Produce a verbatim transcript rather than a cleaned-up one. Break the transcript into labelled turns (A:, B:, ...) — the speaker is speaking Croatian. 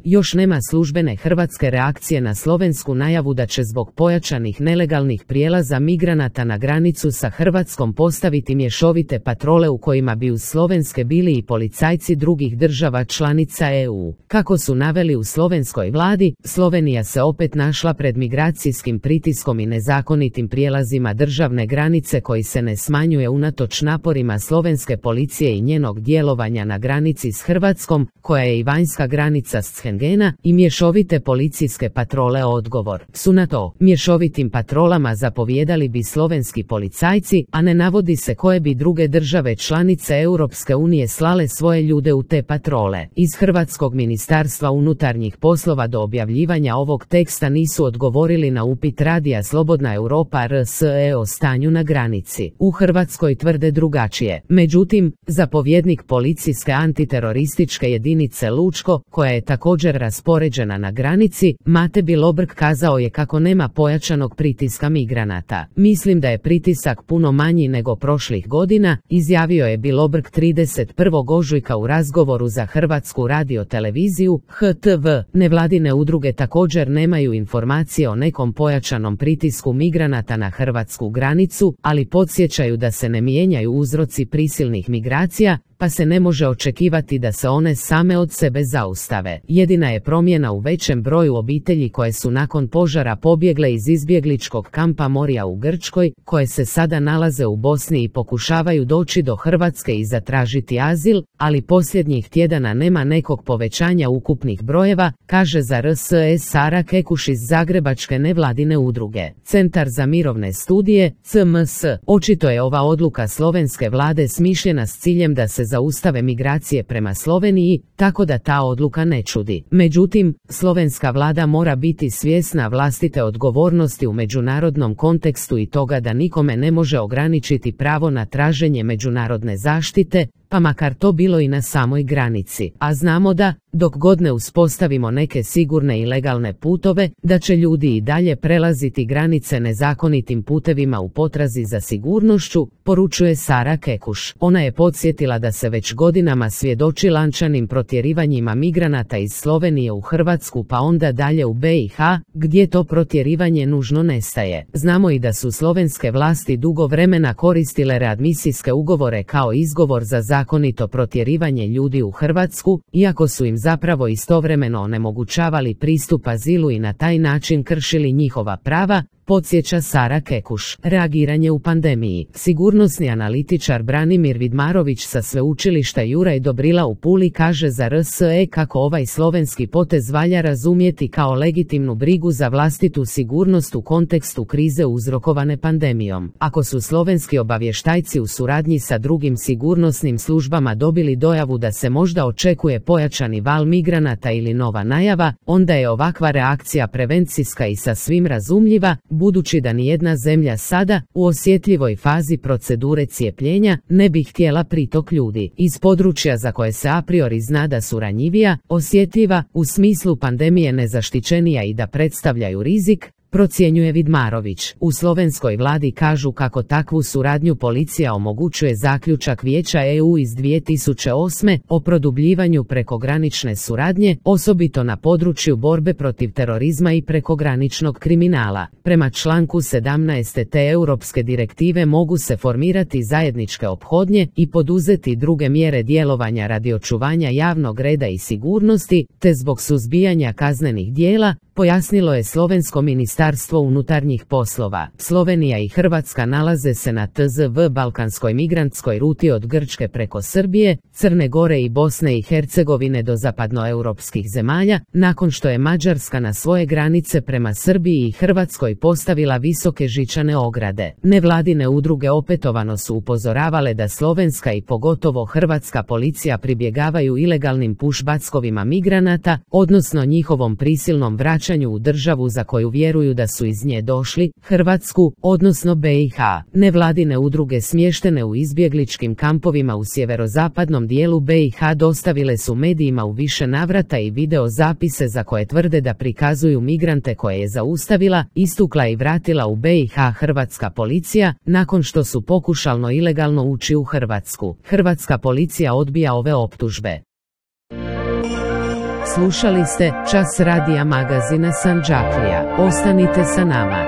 A: Još nema službene hrvatske reakcije na slovensku najavu da će zbog pojačanih nelegalnih prijelaza migranata na granicu sa Hrvatskom postaviti mješovite patrole u kojima bi uz slovenske bili i policajci drugih država članica E U. Kako su naveli u slovenskoj vladi, Slovenija se opet našla pred migracijskim pritiskom i nezakonitim prijelazima državne granice koji se ne smanjuje unatoč naporima slovenske policije i njenog djelovanja na granici s Hrvatskom, koja je i vanjska granica Schengena, i mješovite policijske patrole. Odgovor su na to mješovitim patrolama zapovijedali bi slovenski policajci, a ne navodi se koje bi druge države članice Europske unije slale svoje ljude u te patrole. Iz Hrvatskog ministarstva unutarnjih poslova do objavljivanja ovog teksta nisu odgovorili na upit radija Slobodna Europa R S E o stanju na granici. U Hrvatskoj tvrde drugačije. Međutim, zapovjednik policijske antiterorističke jedinice Lučko, koja je također raspoređena na granici, Mate Bilobrk, kazao je kako nema pojačanog pritiska migranata. Mislim da je pritisak puno manji nego prošlih godina, izjavio je Bilobrk trideset prvog ožujka u razgovoru za Hrvatsku radioteleviziju H T V. Nevladine udruge također nemaju informacije o nekom pojačanom pritisku migranata na hrvatsku granicu, ali podsjećaju da se ne mijenjaju uzroci prisilnih migracija, pa se ne može očekivati da se one same od sebe zaustave. Jedina je promjena u većem broju obitelji koje su nakon požara pobjegle iz izbjegličkog kampa Moria u Grčkoj, koje se sada nalaze u Bosni i pokušavaju doći do Hrvatske i zatražiti azil, ali posljednjih tjedana nema nekog povećanja ukupnih brojeva, kaže za R S E Sara Kekuš iz Zagrebačke nevladine udruge. Centar za mirovne studije, C M S. Očito je ova odluka slovenske vlade smišljena s ciljem da se zaustave migracije prema Sloveniji, tako da ta odluka ne čudi. Međutim, slovenska vlada mora biti svjesna vlastite odgovornosti u međunarodnom kontekstu i toga da nikome ne može ograničiti pravo na traženje međunarodne zaštite, pa makar to bilo i na samoj granici. A znamo da, dok god ne uspostavimo neke sigurne i legalne putove, da će ljudi i dalje prelaziti granice nezakonitim putevima u potrazi za sigurnošću, poručuje Sara Kekuš. Ona je podsjetila da se već godinama svjedoči lančanim protjerivanjima migranata iz Slovenije u Hrvatsku pa onda dalje u B i H, gdje to protjerivanje nužno nestaje. Znamo i da su slovenske vlasti dugo vremena koristile readmisijske ugovore kao izgovor za zakonito protjerivanje ljudi u Hrvatsku, iako su im zapravo istovremeno onemogućavali pristup azilu i na taj način kršili njihova prava, podsjeća Sara Kekuš. Reagiranje u pandemiji. Sigurnosni analitičar Branimir Vidmarović sa sveučilišta Juraj Dobrila u Puli kaže za R S E kako ovaj slovenski potez valja razumjeti kao legitimnu brigu za vlastitu sigurnost u kontekstu krize uzrokovane pandemijom. Ako su slovenski obavještajci u suradnji sa drugim sigurnosnim službama dobili dojavu da se možda očekuje pojačani val migranata ili nova najava, onda je ovakva reakcija prevencijska i sasvim razumljiva, budući da nijedna zemlja sada, u osjetljivoj fazi procedure cijepljenja, ne bi htjela pritok ljudi iz područja za koje se a priori zna da su ranjivija, osjetljiva, u smislu pandemije nezaštićenija i da predstavljaju rizik, procjenjuje Vidmarović. U slovenskoj vladi kažu kako takvu suradnju policija omogućuje zaključak Vijeća E U iz dvije tisuće osme o produbljivanju prekogranične suradnje, osobito na području borbe protiv terorizma i prekograničnog kriminala. Prema članku sedamnaest te europske direktive mogu se formirati zajedničke ophodnje i poduzeti druge mjere djelovanja radi očuvanja javnog reda i sigurnosti, te zbog suzbijanja kaznenih djela, pojasnilo je slovensko ministarstvo unutarnjih poslova. Slovenija i Hrvatska nalaze se na T Z V balkanskoj migrantskoj ruti od Grčke preko Srbije, Crne Gore i Bosne i Hercegovine do zapadnoeuropskih zemalja, nakon što je Mađarska na svoje granice prema Srbiji i Hrvatskoj postavila visoke žičane ograde. Nevladine udruge opetovano su upozoravale da slovenska i pogotovo hrvatska policija pribjegavaju ilegalnim pushbackovima migranata, odnosno njihovom prisilnom vraćanju u državu za koju vjeruju da su iz nje došli, Hrvatsku, odnosno B i H. Nevladine udruge smještene u izbjegličkim kampovima u sjeverozapadnom dijelu B i H dostavile su medijima u više navrata i video zapise za koje tvrde da prikazuju migrante koje je zaustavila, istukla i vratila u B i H hrvatska policija, nakon što su pokušalno ilegalno ući u Hrvatsku. Hrvatska policija odbija ove optužbe. Slušali ste Čas radija magazina Sandžaklija. Ostanite sa nama.